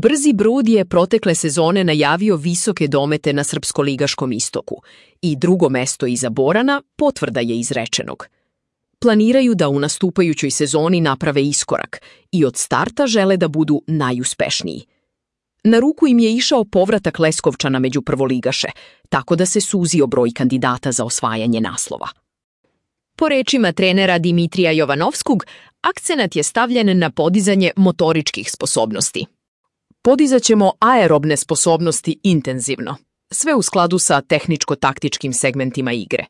Brzi Brud je protekle sezone najavio visoke domete na srpsko-ligaškom istoku i drugo mesto iza Borana potvrda je izrečenog. Planiraju da u nastupajućoj sezoni naprave iskorak i od starta žele da budu najuspešniji. Na ruku im je išao povratak Leskovčana među prvoligaše, tako da se suzio broj kandidata za osvajanje naslova. Po rečima trenera Dimitrija Jovanovskog, akcenat je stavljen na podizanje motoričkih sposobnosti. Podizat ćemo aerobne sposobnosti intenzivno, sve u skladu sa tehničko-taktičkim segmentima igre.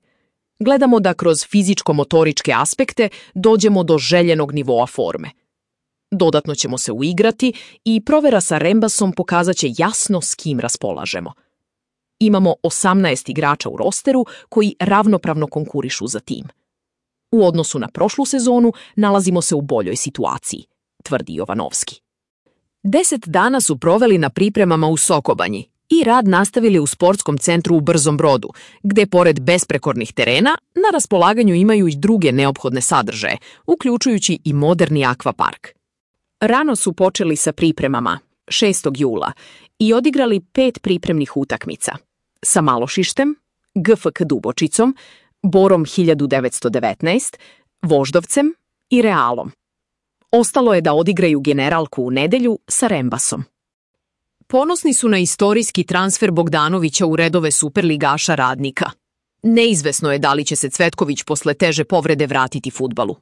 Gledamo da kroz fizičko-motoričke aspekte dođemo do željenog nivoa forme. Dodatno ćemo se uigrati i provera sa Rembasom pokazat će jasno s kim raspolažemo. Imamo 18 igrača u rosteru koji ravnopravno konkurišu za tim. U odnosu na prošlu sezonu nalazimo se u boljoj situaciji, tvrdi Jovanovski. 10 dana su proveli na pripremama u Sokobanji i rad nastavili u sportskom centru u Brzom Brodu, gde pored besprekornih terena na raspolaganju imaju i druge neophodne sadržaje, uključujući i moderni akvapark. Rano su počeli sa pripremama, 6. jula, i odigrali 5 pripremnih utakmica. Sa Malošištem, GFK Dubočicom, Borom 1919, Voždovcem i Realom. Ostalo je da odigraju generalku u nedelju sa Rembasom. Ponosni su na istorijski transfer Bogdanovića u redove superligaša Radnika. Neizvesno je da li će se Cvetković posle teže povrede vratiti fudbalu.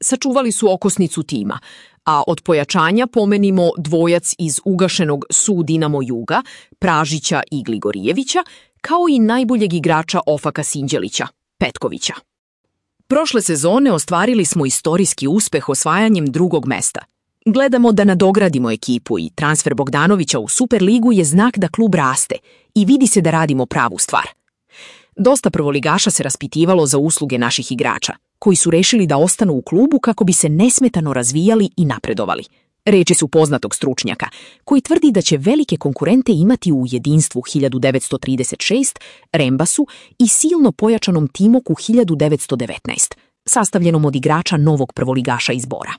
Sačuvali su okosnicu tima, a od pojačanja pomenimo dvojac iz ugašenog SU Dinamo Juga, Pražića i Gligorijevića, kao i najboljeg igrača Ofaka Sinđelića, Petkovića. Prošle sezone ostvarili smo istorijski uspeh osvajanjem drugog mesta. Gledamo da nadogradimo ekipu i transfer Bogdanovića u Superligu je znak da klub raste i vidi se da radimo pravu stvar. Dosta prvoligaša se raspitivalo za usluge naših igrača, koji su rešili da ostanu u klubu kako bi se nesmetano razvijali i napredovali. Reči su poznatog stručnjaka, koji tvrdi da će velike konkurente imati u jedinstvu 1936, Rembasu i silno pojačanom Timoku 1919, sastavljenom od igrača novog prvoligaša iz Bora.